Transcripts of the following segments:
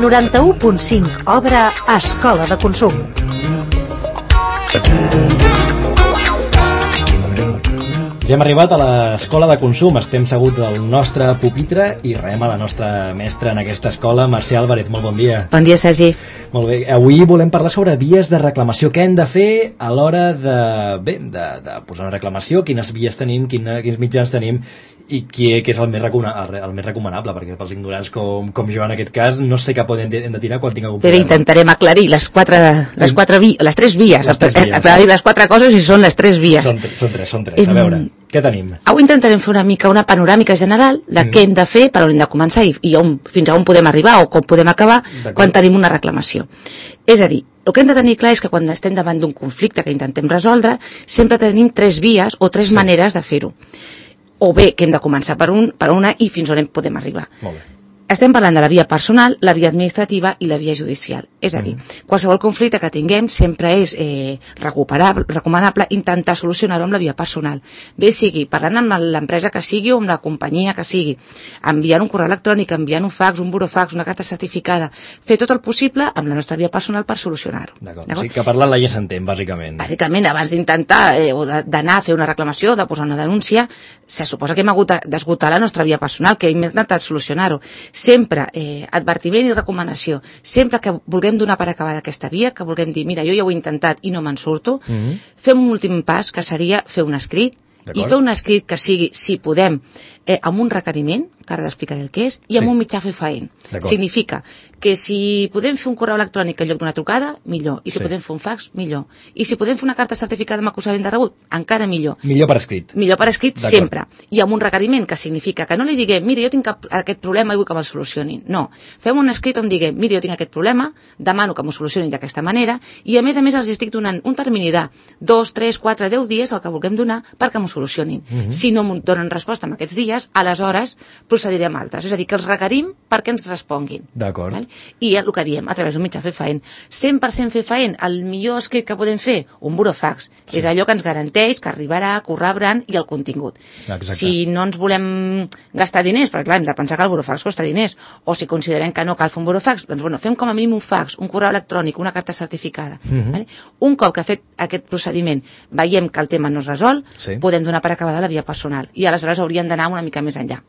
91.5 obre Escola de Consum. Ja hem arribat a l'Escola de Consum, estem seguts al nostre pupitre i rebem a la nostra mestra en aquesta escola, Mercè Álvarez. Molt bon dia. Bon dia, Sergi. Molt bé, avui volem parlar sobre vies de reclamació. Què hem de fer a l'hora de posar una reclamació, quines vies tenim, quins mitjans tenim i què és el més recomanable, perquè pels ignorants com jo en aquest cas no sé cap on hem de tirar quan tinc algun problema. Intentarem aclarir les tres vies. Aclarir les quatre coses i són les tres vies. Són tres. A veure, què tenim? Avui intentarem fer una panoràmica general de què hem de fer, per on hem de començar i fins a on podem arribar o com podem acabar quan tenim una reclamació. És a dir, el que hem de tenir clar és que quan estem davant d'un conflicte que intentem resoldre, sempre tenim tres vies o tres maneres de fer-ho. O bé que hem de començar per una i fins on podem arribar. Molt bé. Estem parlant de la via personal, la via administrativa i la via judicial. És a dir, qualsevol conflicte que tinguem sempre és recomanable intentar solucionar-ho amb la via personal. Bé sigui parlant amb l'empresa que sigui o amb la companyia que sigui, enviant un correu electrònic, enviant un fax, un burofax, una carta certificada, fer tot el possible amb la nostra via personal per solucionar-ho. D'acord. O sigui que parlant-la ja s'entén, bàsicament. Bàsicament, abans d'intentar o d'anar a fer una reclamació, de posar una denúncia, se suposa que hem hagut d'esgotar la nostra via personal, que hem intentat solucionar-ho. Sempre advertiment i recomanació. Sempre que vulguem donar per acabada aquesta via, que vulguem dir, mira, jo ja ho he intentat i no me'n surto, fem un últim pas, que seria fer un escrit, i fer un escrit que sigui, si podem, amb un requeriment, que ara t'explicaré el que és, i amb un mitjà fefaent. Significa que si podem fer un correu electrònic en lloc d'una trucada, millor. I si podem fer un fax, millor. I si podem fer una carta certificada amb acusament de rebut, encara millor. Millor per escrit. Millor per escrit sempre. I amb un requeriment, que significa que no li diguem, mira, jo tinc aquest problema i vull que me'l solucionin. No. Fem un escrit on diguem, mira, jo tinc aquest problema, demano que m'ho solucionin d'aquesta manera, i a més els estic donant un termini de 2, 3, 4, 10 dies, el que vulguem donar, perquè m'ho solucionin. Si no m'ho donen resposta en aquests dies, aleshores procedirem a altres. És a dir, que els requerim perquè ens responguin. D'acord. I el que diem, a través d'un mitjà fefaent. 100% fefaent, el millor escrit que podem fer, un burofax. És allò que ens garanteix que arribarà, que ho rebran i el contingut. Exacte. Si no ens volem gastar diners, perquè clar, hem de pensar que el burofax costa diners, o si considerem que no cal fer un burofax, doncs bueno, fem com a mínim un fax, un correu electrònic, una carta certificada. Un cop que ha fet aquest procediment veiem que el tema no es resol, podem donar per acabada la via personal i aleshores hauríem d'anar una mica més enllà.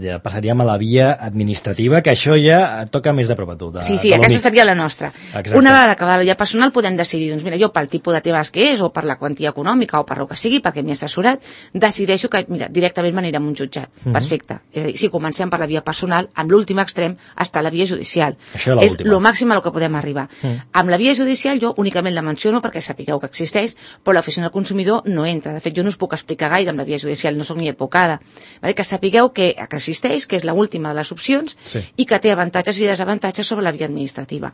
Ja passaríem a la via administrativa, que això ja et toca més de prop a tu. Sí, aquesta seria la nostra. Exacte. Una vegada acabada la via personal podem decidir, doncs mira, jo pel tipus de temes que és, o per la quantia econòmica, o per el que sigui, perquè m'he assessorat, decideixo que, mira, directament m'anirem a un jutjat. Perfecte. És a dir, si comencem per la via personal, amb l'últim extrem està la via judicial. És el màxim a lo que podem arribar. Amb la via judicial jo únicament la menciono perquè sapigueu que existeix, però l'oficina del consumidor no entra. De fet, jo no us puc explicar gaire amb la via judicial, no soc ni advocada. Que sapigueu que existeix, que és l'última de les opcions i que té avantatges i desavantatges sobre la via administrativa.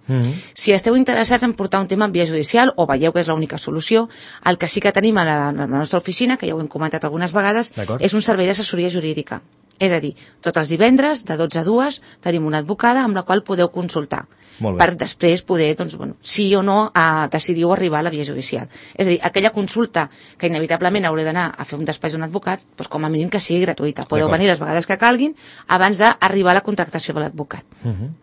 Si esteu interessats en portar un tema en via judicial o veieu que és l'única solució, el que sí que tenim a la nostra oficina, que ja ho hem comentat algunes vegades, és un servei d'assessoria jurídica. És a dir, tots els divendres, de 12 a 2, tenim una advocada amb la qual podeu consultar per després poder, doncs, bueno, sí o no decidiu arribar a la via judicial. És a dir, aquella consulta que inevitablement haureu d'anar a fer un despatx d'un advocat, doncs com a mínim que sigui gratuïta. Podeu venir les vegades que calguin abans d'arribar a la contractació de l'advocat.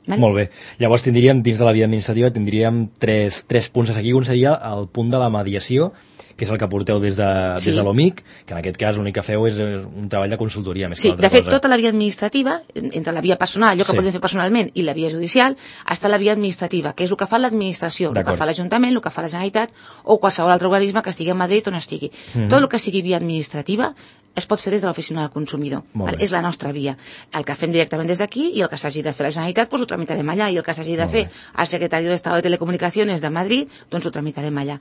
Molt bé. Llavors tindríem, dins de la via administrativa, tindríem tres punts a seguir. Un seria el punt de la mediació, que és el que porteu des de l'OMIC, que en aquest cas l'únic que feu és un treball de consultoria més que altra cosa. De fet, tota la via administrativa, entre la via personal, allò que podem fer personalment, i la via judicial, està la via administrativa, que és el que fa l'administració, el que fa l'Ajuntament, el que fa la Generalitat, o qualsevol altre organisme que estigui a Madrid on estigui. Tot el que sigui via administrativa es pot fer des de l'oficina del consumidor. És la nostra via. El que fem directament des d'aquí i el que s'hagi de fer a la Generalitat, doncs ho tramitarem allà, i el que s'hagi de fer al Secretari d'Estado de Telecomunicaciones de Madrid, doncs ho tramitarem allà.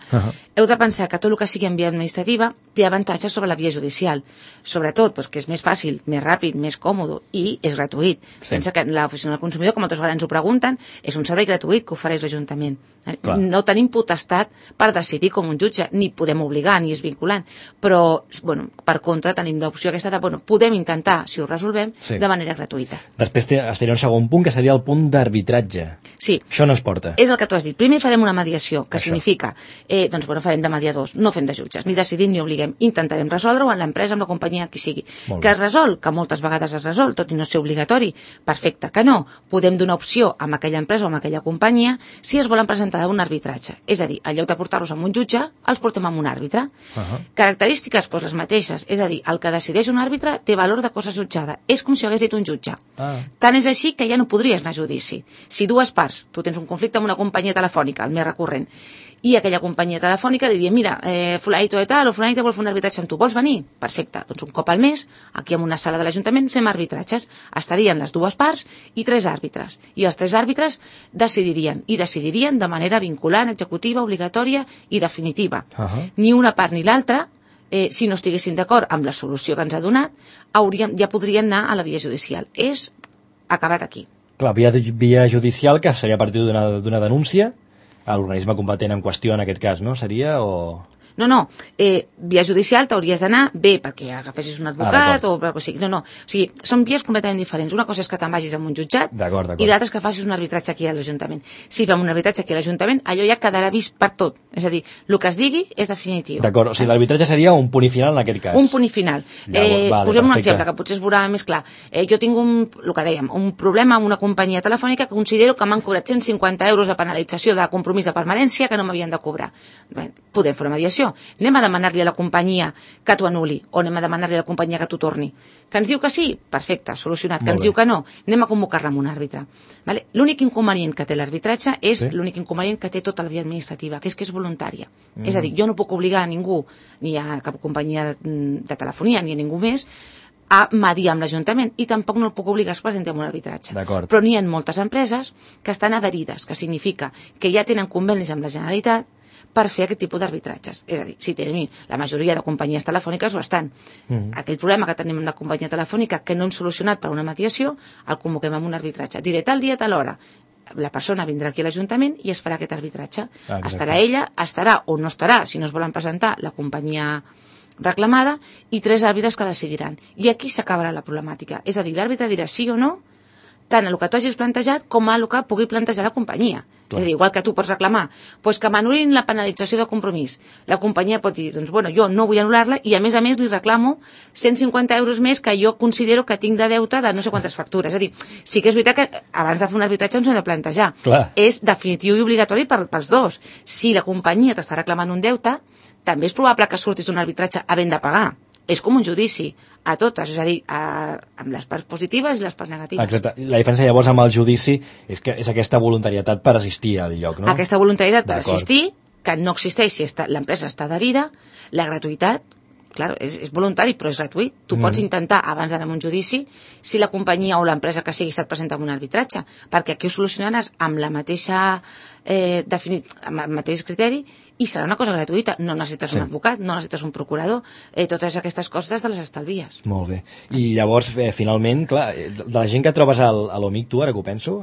Heu de pensar que tot el que sigui en via administrativa té avantatges sobre la via judicial. Sobretot, que és més fàcil, més ràpid, més còmode i és gratuït. Pensa que l'oficina del consumidor, com moltes vegades ens ho pregunten, és un servei gratuït que ofereix l'Ajuntament. No tenim potestat per decidir com un jutge, ni podem obligar, ni és vinculant, però, per contra, tenim l'opció aquesta de, bueno, podem intentar, si ho resolvem, Sí. de manera gratuïta. Després estaria un segon punt, que seria el punt d'arbitratge. Sí. Això no es porta. És el que tu has dit. Primer farem una mediació, que Això. significa, doncs, bueno, farem de mediadors, no fem de jutges, ni decidim ni obliguem. Intentarem resoldre-ho amb l'empresa, amb la companyia, qui sigui. Molt Que bé. es resol, que moltes vegades es resol, tot i no ser obligatori, perfecte, que no. Podem donar opció amb aquella empresa o amb aquella companyia si es volen presentar d'un arbitratge. És a dir, en lloc de portar-los amb un jutge, els portem amb un àrbitre. Característiques, doncs les mateixes. És a dir, el que decideix un àrbitre té valor de cosa jutjada. És com si ho hagués dit un jutge. Tant és així que ja no podries anar a judici. Si dues parts, tu tens un conflicte amb una companyia telefònica, el més recurrent, i aquella companyia telefònica li diria, mira, fulanito de tal o fulanito vol fer un arbitratge amb tu, vols venir? Perfecte, doncs un cop al mes, aquí en una sala de l'Ajuntament fem arbitratges, estarien les dues parts i 3 àrbitres, i els 3 àrbitres decidirien de manera vinculant, executiva, obligatòria i definitiva. Ni una part ni l'altra, si no estiguessin d'acord amb la solució que ens ha donat, ja podrien anar a la via judicial. És acabat aquí. Clar, via judicial, que seria a partir d'una denúncia a l'organisme competent en qüestió, en aquest cas, no? Seria o... No, via judicial t'hauries d'anar bé perquè agafessis un advocat o sigui, no, o sigui, són vies completament diferents. Una cosa és que te'n vagis amb un jutjat i l'altra és que facis un arbitratge aquí a l'Ajuntament. Si fem un arbitratge aquí a l'Ajuntament, allò ja quedarà vist per tot. És a dir, el que es digui és definitiu. D'acord, o sigui, l'arbitratge seria un punt i final en aquest cas. Un punt i final. Posem un exemple que potser es veurà més clar. Jo tinc el que dèiem, un problema amb una companyia telefònica que considero que m'han cobrat 150 euros de penalització de compromís de permanència que no m'havien de cobrar. Bé, podem fer una mediació. Anem a demanar-li a la companyia que t'ho anul·li o anem a demanar-li a la companyia que t'ho torni. Que ens diu que sí? Perfecte, solucionat. Que ens diu que no? Anem a convocar-la amb un àrbitre. Vale? L'únic inconvenient que té l'arbitratge és l'únic inconvenient que té tota la via administrativa, que és voluntària. És a dir, jo no puc obligar a ningú, ni a cap companyia de telefonia, ni a ningú més, a mediar amb l'Ajuntament i tampoc no el puc obligar a es presentar en un arbitratge. Però n'hi ha moltes empreses que estan adherides, que significa que ja tenen convenis amb la Generalitat per fer aquest tipus d'arbitratges. És a dir, si tenim la majoria de companyies telefòniques ho estan. Aquell problema que tenim amb la companyia telefònica que no hem solucionat per una mediació, el convoquem amb un arbitratge. Diré tal dia, tal hora. La persona vindrà aquí a l'Ajuntament i es farà aquest arbitratge. Estarà ella, estarà o no estarà, si no es volen presentar, la companyia reclamada i 3 àrbitres que decidiran. I aquí s'acabarà la problemàtica. És a dir, l'àrbitre dirà sí o no, tant a el que tu hagis plantejat com a el que pugui plantejar la companyia. És a dir, igual que tu pots reclamar doncs que m'anul·lin la penalització de compromís. La companyia pot dir, doncs bueno, jo no vull anul·lar-la i a més li reclamo 150 euros més que jo considero que tinc de deute de no sé quantes factures. És a dir, sí que és veritat que abans de fer un arbitratge ens hem de plantejar. És definitiu i obligatori pels dos. Si la companyia t'està reclamant un deute, també és probable que surtis d'un arbitratge havent de pagar. És com un judici, a totes, és a dir, amb les parts positives i les parts negatives. Exacte. La diferència llavors amb el judici és que és aquesta voluntarietat per assistir al lloc, no? Aquesta voluntarietat per assistir, que no existeix si l'empresa està adherida, la gratuïtat, clar, és voluntari però és gratuït. Tu pots intentar, abans d'anar a un judici, si la companyia o l'empresa que sigui se't presenta amb un arbitratge, perquè aquí ho solucionaràs amb la mateixa amb el mateix criteri i serà una cosa gratuïta. No necessites un advocat, no necessites un procurador, totes aquestes coses te les estalvies. Molt bé. I llavors, finalment, clar, de la gent que trobes a l'OMIC, tu, ara que ho penso,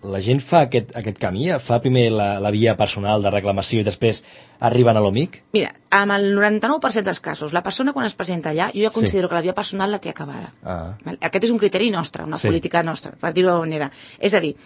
la gent fa aquest camí, fa primer la via personal de reclamació i després arriben a l'OMIC? Mira, amb el 99% dels casos, la persona quan es presenta allà, jo ja considero que la via personal la té acabada. Aquest és un criteri nostre, una política nostra, per dir-ho d'alguna manera. És a dir,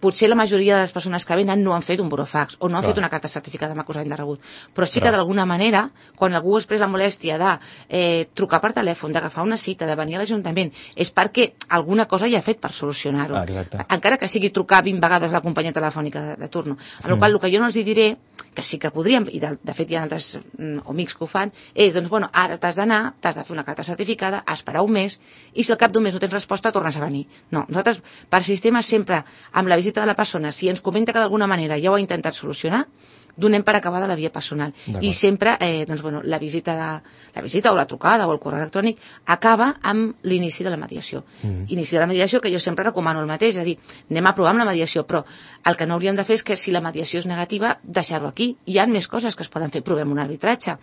potser la majoria de les persones que venen no han fet un burofax o no han fet una carta certificada amb acusament de rebut, però sí que d'alguna manera, quan algú es pres la molèstia de trucar per telèfon, d'agafar una cita, de venir a l'Ajuntament, és perquè alguna cosa ja ha fet per solucionar-ho. Encara que sigui trucar 20 vegades a la companyia telefònica de turno. Amb la qual cosa, el que jo no els diré, que sí que podríem, i de fet hi ha altres OMICs que ho fan, és, doncs, bueno, ara t'has d'anar, t'has de fer una carta certificada, esperar un mes, i si al cap d'un mes no tens resposta, tornes a venir. No, nosaltres, per sistema, sempre, amb la visita de la persona, si ens comenta que d'alguna manera ja ho ha intentat solucionar, donem per acabada la via personal. I sempre, doncs, bueno, la visita o la trucada o el correu electrònic acaba amb l'inici de la mediació. Inici de la mediació, que jo sempre recomano el mateix, és a dir, anem a provar amb la mediació, però el que no hauríem de fer és que si la mediació és negativa, deixar-ho aquí. Hi ha més coses que es poden fer, provem un arbitratge.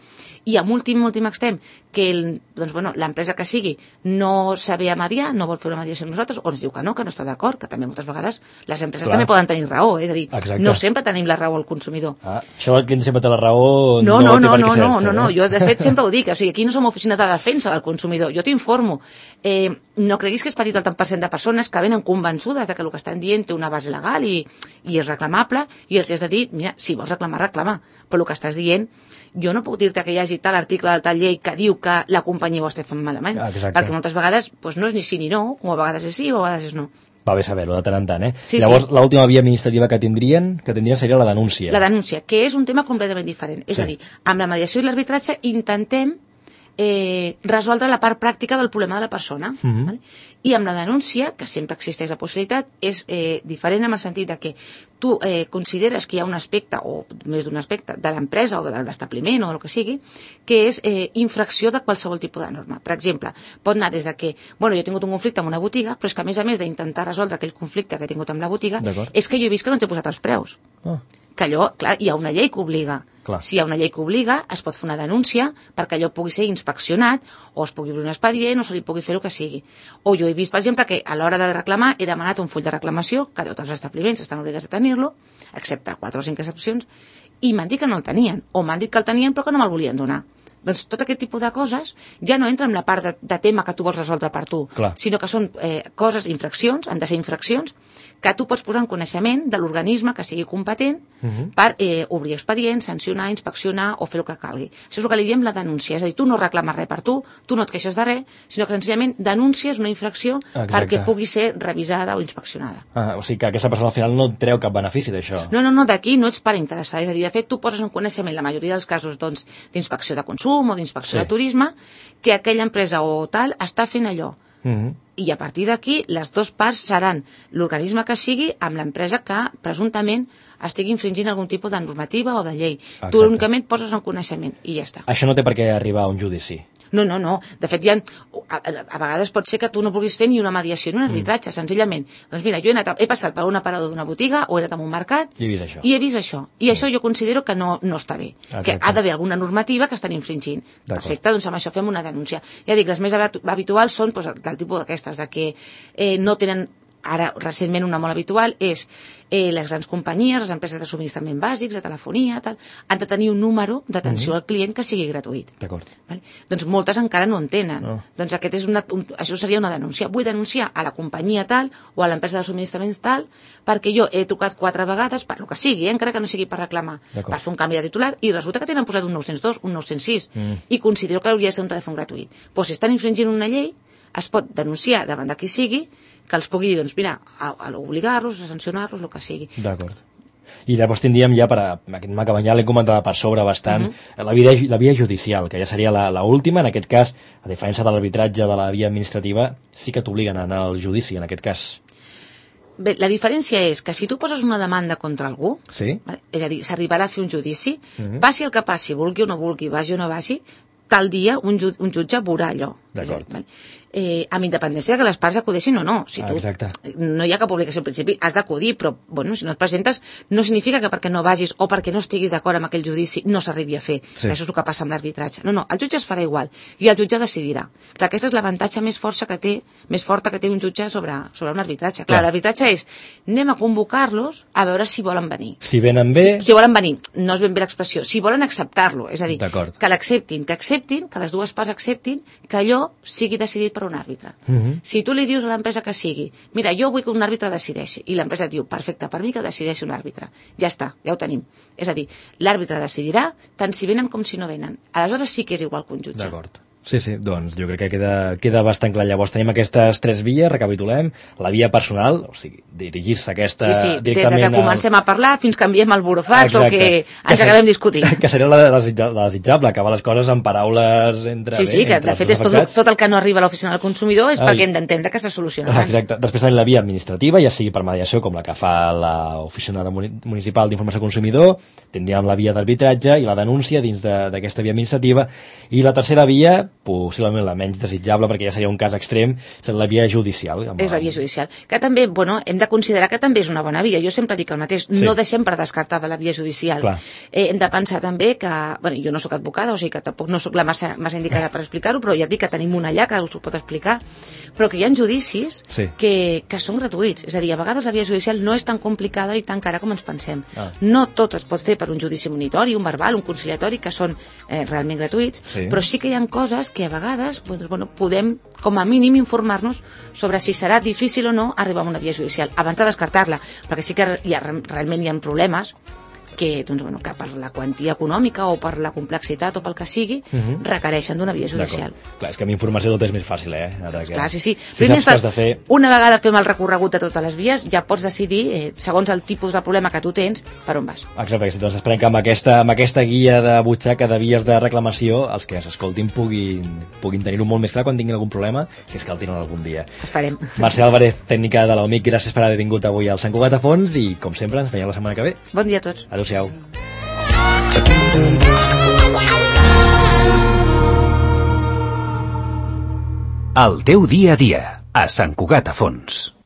I amb últim extrem, que doncs, bueno, l'empresa que sigui no sabe mediar, no vol fer una mediació amb nosaltres, o ens diu que no està d'acord, que també moltes vegades les empreses també poden tenir raó, és a dir, no sempre tenim la raó al consumidor. Això del client sempre té la raó No, té per què ser-se. no, jo de fet sempre ho dic, o sigui, aquí no som oficina de defensa del consumidor, jo t'informo. No creguis que és petit el tant per cent de persones que venen convençudes de que el que estan dient té una base legal i és reclamable, i els has de dir, mira, si vols reclamar, reclama, però el que estàs dient, jo no puc dir-te que hi hagi tal article de tal llei que diu que la companyia ho està fent malament, perquè moltes vegades no és ni sí ni no, o a vegades és sí o a vegades és no. Va bé saber-ho de tant en tant, Sí, Llavors, l'última via administrativa que tindrien seria la denúncia. La denúncia, que és un tema completament diferent. És a dir, amb la mediació i l'arbitratge intentem resoldre la part pràctica del problema de la persona. Vale? I amb la denúncia, que sempre existeix la possibilitat, és diferent en el sentit de que tu consideres que hi ha un aspecte, o més d'un aspecte, de l'empresa o de l'establiment o del que sigui, que és infracció de qualsevol tipus de norma. Per exemple, pot anar des de que, jo he tingut un conflicte amb una botiga, però és que a més d'intentar resoldre aquell conflicte que he tingut amb la botiga, és que jo he vist que no t'he posat els preus. Que allò, clar, hi ha una llei que obliga. Si hi ha una llei que obliga, es pot fer una denúncia perquè allò pugui ser inspeccionat, o es pugui obrir un expedient, o se li pugui fer el que sigui. O jo he vist, per exemple, que a l'hora de reclamar he demanat un full de reclamació, que tots els establiments estan obligats a tenir-lo, excepte 4 o 5 excepcions, i m'han dit que no el tenien, o m'han dit que el tenien però que no me'l volien donar. Doncs tot aquest tipus de coses ja no entra en la part de tema que tu vols resoldre per tu, sinó que són coses, infraccions, han de ser infraccions, que tu pots posar en coneixement de l'organisme que sigui competent per obrir expedients, sancionar, inspeccionar o fer el que calgui. Això és el que li diem la denúncia, és a dir, tu no reclames res per tu no et queixes de res, sinó que senzillament denúncies una infracció perquè pugui ser revisada o inspeccionada. O sigui que aquesta persona al final no et treu cap benefici d'això. No, d'aquí no ets part interessada, és a dir, de fet tu poses en coneixement la majoria dels casos d'inspecció de consum o d'inspecció de turisme, que aquella empresa o tal està fent allò. I a partir d'aquí les dues parts seran l'organisme que sigui amb l'empresa que presumptament estigui infringint algun tipus de normativa o de llei. Tu únicament poses en coneixement i ja està. Això no té per què arribar a un judici. No. De fet, a vegades pot ser que tu no vulguis fer ni una mediació ni un arbitratge, senzillament. Doncs mira, jo he passat per un aparador d'una botiga o he anat a un mercat i he vist això. I això jo considero que no està bé. Que ha d'haver alguna normativa que estan infringint. Perfecte, doncs amb això fem una denúncia. Ja dic, les més habituals són del tipus d'aquestes, de que no tenen... Ara, recentment, una molt habitual és les grans companyies, les empreses de subministrament bàsics, de telefonia, tal, han de tenir un número d'atenció al client que sigui gratuït. D'acord. Vale? Doncs moltes encara no en tenen. Doncs això seria una denúncia. Vull denunciar a la companyia tal o a l'empresa de subministraments tal perquè jo he trucat 4 vegades per lo que sigui, encara que no sigui per reclamar, per fer un canvi de titular, i resulta que tenen posat un 902, un 906, i considero que hauria de ser un telèfon gratuït. Doncs si estan infringint una llei, es pot denunciar davant de qui sigui, que els pugui dir, doncs mira, a obligar-los, a sancionar-los, el que sigui. D'acord. I llavors tindríem ja, aquest macabanyà ja l'hem comentat per sobre bastant, la via judicial, que ja seria l'última, en aquest cas, a diferència de l'arbitratge de la via administrativa, sí que t'obliguen a anar al judici, en aquest cas. Bé, la diferència és que si tu poses una demanda contra algú, vale, és a dir, s'arribarà a fer un judici, passi el que passi, vulgui o no vulgui, vagi o no vagi, tal dia un jutge veurà allò. D'acord. Amb independència que les parts acudeixin o no. Si tu, no hi ha cap obligació al principi, has d'acudir, però si no et presentes no significa que perquè no vagis o perquè no estiguis d'acord amb aquell judici no s'arribi a fer. Això és el que passa amb l'arbitratge. No, el jutge es farà igual i el jutge decidirà. Clar, aquesta és l'avantatge més forta que té un jutge sobre un arbitratge. Clar, l'arbitratge és anem a convocar-los a veure si volen venir. Si venen bé... Si volen venir, no és ben bé l'expressió, si volen acceptar-lo, és a dir, que l'acceptin, que les dues parts acceptin que allò sigui decidit per un àrbitre. Si tu li dius a l'empresa que sigui, mira, jo vull que un àrbitre decideixi, i l'empresa et diu, perfecte, per mi que decideixi un àrbitre. Ja està, ja ho tenim. És a dir, l'àrbitre decidirà tant si venen com si no venen. Aleshores sí que és igual que un jutge. D'acord. Sí, doncs jo crec que queda bastant clar. Llavors tenim aquestes 3 vies, recapitulem. La via personal, o sigui, dirigir-se a aquesta directament... des que comencem a parlar fins que enviem el burofax o que ens acabem discutint. Que seria la desitjable, acabar les coses amb paraules entre... Sí, que de fet és tot el que no arriba a l'oficina del consumidor és perquè hem d'entendre que se soluciona abans. Exacte. Després tenim la via administrativa, ja sigui per mediació, com la que fa l'oficina municipal d'informació al consumidor, tindríem la via d'arbitratge i la denúncia dins d'aquesta via administrativa, i la tercera via possiblement la menys desitjable, perquè ja seria un cas extrem, és la via judicial. És la via judicial. Que també, hem de considerar que també és una bona via. Jo sempre dic el mateix, no deixem per descartada la via judicial. Hem de pensar també que, jo no sóc advocada, o sigui que tampoc no sóc la massa indicada per explicar-ho, però ja et dic que tenim una allà que us ho pot explicar, però que hi ha judicis que són gratuïts. És a dir, a vegades la via judicial no és tan complicada i tan cara com ens pensem. No tot es pot fer per un judici monitori, un verbal, un conciliatori, que són realment gratuïts, però sí que hi ha coses que a vegades podem, com a mínim, informar-nos sobre si serà difícil o no arribar a una via judicial, abans de descartar-la, perquè sí que realment hi ha problemes que per la quantia econòmica o per la complexitat o pel que sigui, requereixen d'una via judicial. Clar, és que amb informació tot és més fàcil, Clar, sí. Si saps què has de fer... Una vegada fem el recorregut de totes les vies, ja pots decidir, segons el tipus de problema que tu tens, per on vas. Exacte, doncs esperem que amb aquesta guia de butxaca de vies de reclamació, els que s'escoltin puguin tenir-ho molt més clar quan tinguin algun problema, si és que el tenen algun dia. Esperem. Mercè Álvarez, tècnica de l'OMIC, gràcies per haver vingut avui al Sant Cugat a Fons i, com sempre, ens veiem la setmana que ve. Bon dia a tots. Adéu-siau. El teu dia a dia, a Sant Cugat a Fons.